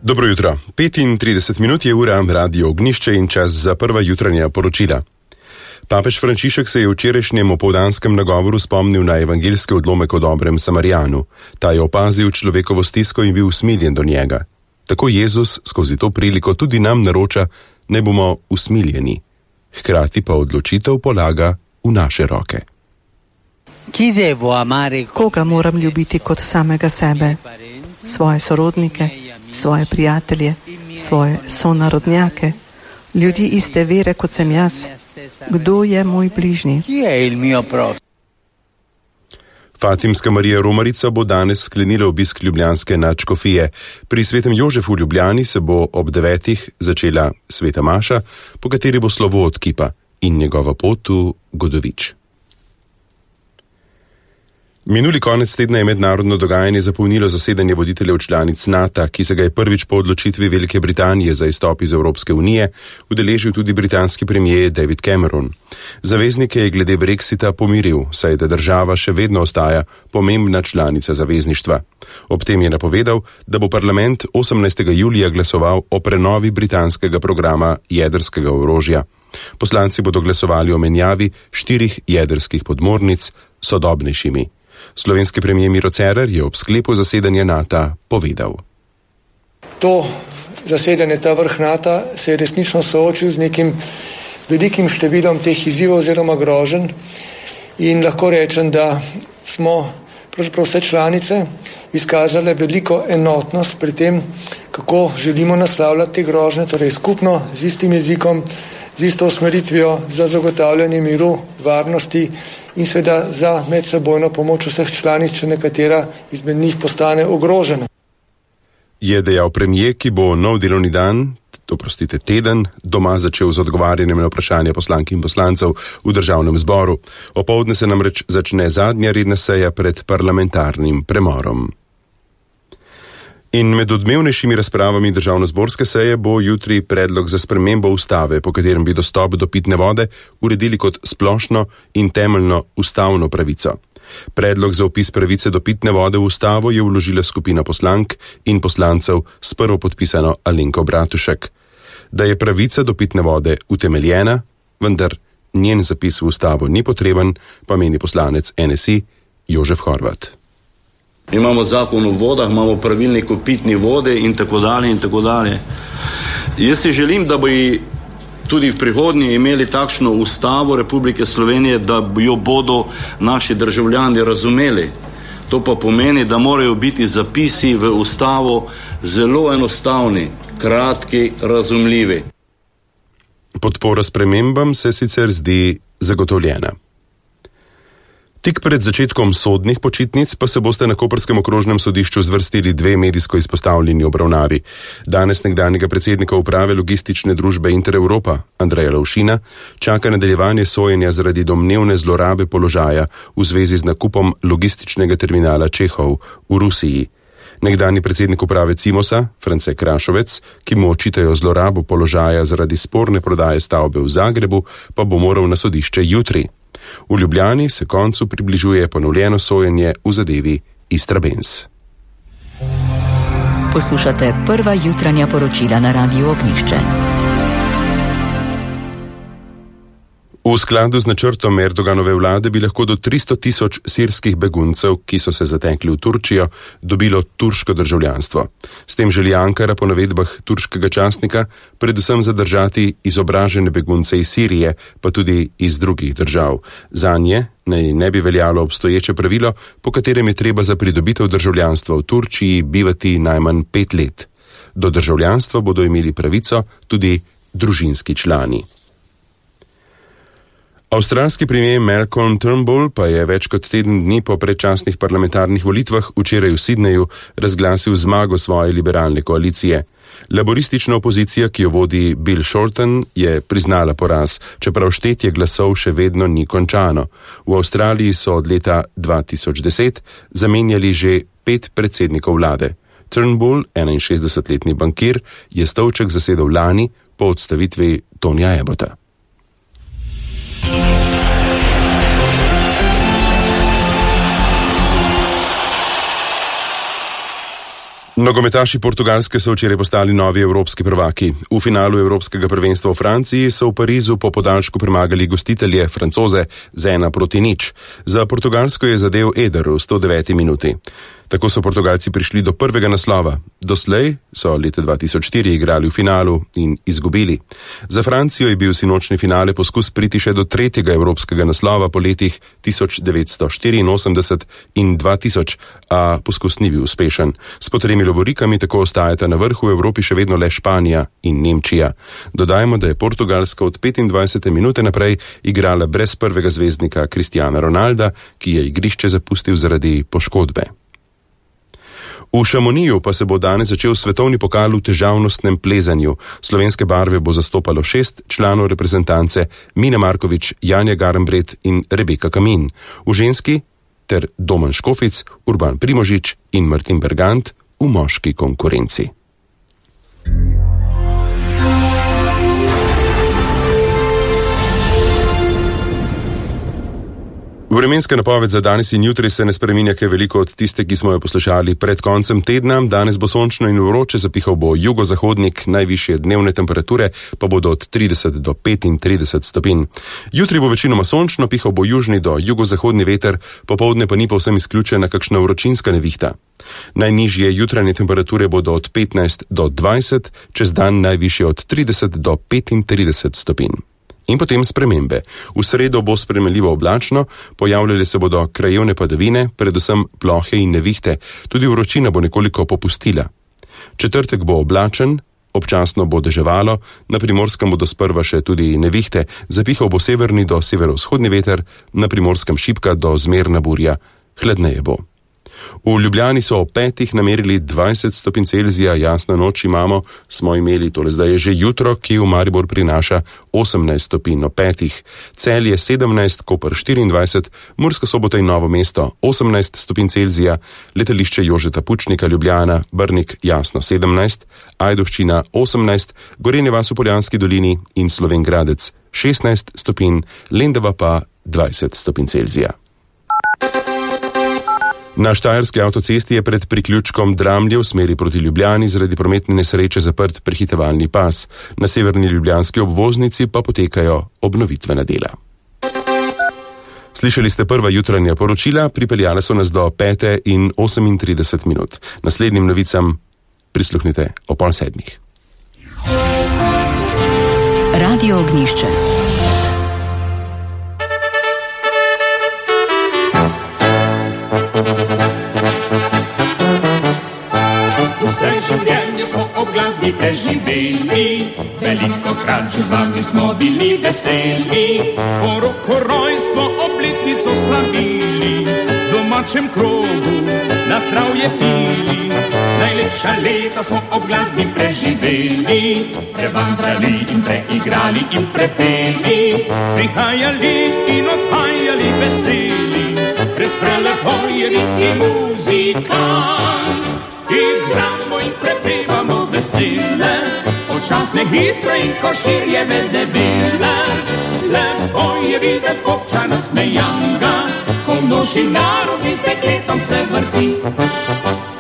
Dobro jutro. 35 minut je ura, radio Ognjišče in čas za prva jutranja poročila. Papež Frančišek se je v včerajšnjem opoldanskem nagovoru spomnil na evangeljski odlomek o dobrem Samarijanu. Ta je opazil človekovo stisko in bil usmiljen do njega. Tako Jezus skozi to priliko tudi nam naroča, naj bomo usmiljeni. Hkrati pa odločitev polaga v naše roke. Koga moram ljubiti kot samega sebe? Svoje sorodnike, svoje prijatelje, svoje sonarodnjake, ljudi iste vere kot sem jaz. Kdo je moj bližnji? Fatimska Marija Romarica bo danes sklenila obisk ljubljanske nadškofije. Pri svetem Jožefu v Ljubljani se bo ob 9. začela sveta maša, po kateri bo slovo od kipa in njegova pot v Godovič. Minuli konec tedna je mednarodno dogajanje zapolnilo zasedanje voditeljev članic NATO, ki se ga je prvič po odločitvi Velike Britanije za izstop iz Evropske unije udeležil tudi britanski premier David Cameron. Zaveznike je glede Brexita pomiril, saj da država še vedno ostaja pomembna članica zavezništva. Ob tem je napovedal, da bo parlament 18. julija glasoval o prenovi britanskega programa jedrskega orožja. Poslanci bodo glasovali o menjavi 4 jedrskih podmornic s sodobnejšimi. Slovenski premier Miro Cerar je ob sklepu zasedanja NATO povedal. To zasedanje, ta vrh NATO se je resnično soočil z nekim velikim številom teh izzivov oziroma groženj in lahko rečem, da smo pravzaprav vse članice izkazale veliko enotnost pri tem, kako želimo naslavljati te grožnje, torej skupno, z istim jezikom, z isto usmeritvijo za zagotavljanje miru, varnosti in seveda za medsebojno pomoč vseh članic, če nekatera izmed njih postane ogrožena. Je dejal premier, ki bo nov delovni teden, doma začel z odgovarjanjem na vprašanja poslank in poslancev v državnem zboru. Opoldne se namreč začne zadnja redna seja pred parlamentarnim premorom. In med odmevnejšimi razpravami državnozborske seje bo jutri predlog za spremembo ustave, po katerem bi dostop do pitne vode uredili kot splošno in temeljno ustavno pravico. Predlog za vpis pravice do pitne vode v ustavo je vložila skupina poslank in poslancev s prvopodpisano Alenko Bratušek. Da je pravica do pitne vode utemeljena, vendar njen zapis v ustavo ni potreben, pa meni poslanec NSI Jožef Horvat. Imamo zakon o vodah, imamo pravilnik o pitni vode in tako dalje in tako dalje. Jaz si želim, da bi tudi v prihodnje imeli takšno ustavo Republike Slovenije, da jo bodo naši državljani razumeli. To pa pomeni, da morajo biti zapisi v ustavo zelo enostavni, kratki, razumljivi. Podpora spremembam se sicer zdi zagotovljena. Tik pred začetkom sodnih počitnic pa se boste na koprskem okrožnem sodišču zvrstili 2 medijsko izpostavljeni obravnavi. Danes nekdanjega predsednika uprave logistične družbe Intereuropa, Andreja Lovšina, čaka nadaljevanje sojenja zaradi domnevne zlorabe položaja v zvezi z nakupom logističnega terminala Čehov v Rusiji. Nekdanji predsednik uprave Cimosa, France Krašovec, ki mu očitajo zlorabo položaja zaradi sporne prodaje stavbe v Zagrebu, pa bo moral na sodišče jutri. V Ljubljani se koncu približuje ponovljeno sojenje v zadevi Istrabenz. Poslušate prva jutranja poročila na radiu Ognjišče. V skladu z načrtom Erdoganove vlade bi lahko do 300.000 sirskih beguncev, ki so se zatekli v Turčijo, dobilo turško državljanstvo. S tem želi Ankara po navedbah turškega časnika predvsem zadržati izobražene begunce iz Sirije, pa tudi iz drugih držav. Zanje naj ne bi veljalo obstoječe pravilo, po katerem je treba za pridobitev državljanstva v Turčiji bivati najmanj 5 let. Do državljanstva bodo imeli pravico tudi družinski člani. Avstralski premier Malcolm Turnbull pa je več kot teden dni po predčasnih parlamentarnih volitvah včeraj v Sydneyju razglasil zmago svoje liberalne koalicije. Laboristična opozicija, ki jo vodi Bill Shorten, je priznala poraz, čeprav štetje glasov še vedno ni končano. V Avstraliji so od leta 2010 zamenjali že 5 predsednikov vlade. Turnbull, 61-letni bankir, je stolček zasedel lani po odstavitvi Tonija Abbota. Nogometaši Portugalske so včeraj postali novi evropski prvaki. V finalu evropskega prvenstva v Franciji so v Parizu po podaljšku premagali gostitelje Francoze z 1-0. Za Portugalsko je zadel Eder v 109. minuti. Tako so Portugalci prišli do prvega naslova. Doslej so leta 2004 igrali v finalu in izgubili. Za Francijo je bil sinočni finale poskus priti še do tretjega evropskega naslova po letih 1984 in 2000, a poskus ni bil uspešen. S potremi lovorikami tako ostajata na vrhu v Evropi še vedno le Španija in Nemčija. Dodajmo, da je Portugalska od 25. minute naprej igrala brez prvega zvezdnika Cristiana Ronalda, ki je igrišče zapustil zaradi poškodbe. V Šamoniju pa se bo danes začel svetovni pokal v težavnostnem plezanju. Slovenske barve bo zastopalo 6 članov reprezentance: Mina Markovič, Janja Garnbret in Rebeka Kamin. V ženski ter Domen Škofic, Urban Primožič in Martin Bergant v moški konkurenci. Vremenska napoved za danes in jutri se ne spreminja kaj veliko od tiste, ki smo jo poslušali pred koncem tedna. Danes bo sončno in vroče, zapihal bo jugozahodnik, najvišje dnevne temperature pa bodo od 30 do 35 stopinj. Jutri bo večinoma sončno, pihal bo južni do jugozahodni veter, popoldne pa ni povsem izključena kakšna vročinska nevihta. Najnižje jutranje temperature bodo od 15 do 20, čez dan najvišje od 30 do 35 stopinj. In potem spremembe. V sredo bo spremenljivo oblačno, pojavljale se bodo krajevne padavine, predvsem plohe in nevihte, tudi vročina bo nekoliko popustila. Četrtek bo oblačen, občasno bo deževalo, na Primorskem bodo sprva še tudi nevihte, zapihal bo severni do severovzhodni veter, na Primorskem šibka do zmerna burja, hladneje bo. V Ljubljani so ob 5 namerili 20 stopinj Celzija, jasno noč imamo, smo imeli, tole zdaj je že jutro, ki v Maribor prinaša 18 stopinj ob 5. Celje 17, Koper 24, Murska Sobota in Novo mesto 18 stopinj Celzija, letališče Jožeta Pučnika Ljubljana, Brnik jasno 17, Ajdovščina 18, Gorenje vas v Poljanski dolini in Slovenj Gradec 16 stopinj, Lendava pa 20 stopinj Celzija. Na Štajerski avtocesti je pred priključkom Dramlje v smeri proti Ljubljani zaradi prometne nesreče zaprt prehitevalni pas. Na severni ljubljanski obvoznici pa potekajo obnovitvena dela. Slišali ste prva jutranja poročila, pripeljale so nas do 5:38 minut. Naslednjim novicam prisluhnite o 6:30. Radio Ognjišče. Vse življenje smo ob glasbi preživeli, velikokrat že z vami smo bili veseli. Poroko, rojstvo, obletnico slavili, v domačem krogu na zdravje pili. Najlepša leta smo ob glasbi preživeli, prevandrali in preigrali in prepeli. Prihajali in odhajali veseli, brez prelepojevi in muzikant. Igramo in prepevamo vesele, počasne, hitre in koširjeve debele. Lepo je videti občana smejanga, ko množi narod in s dekletom se vrti.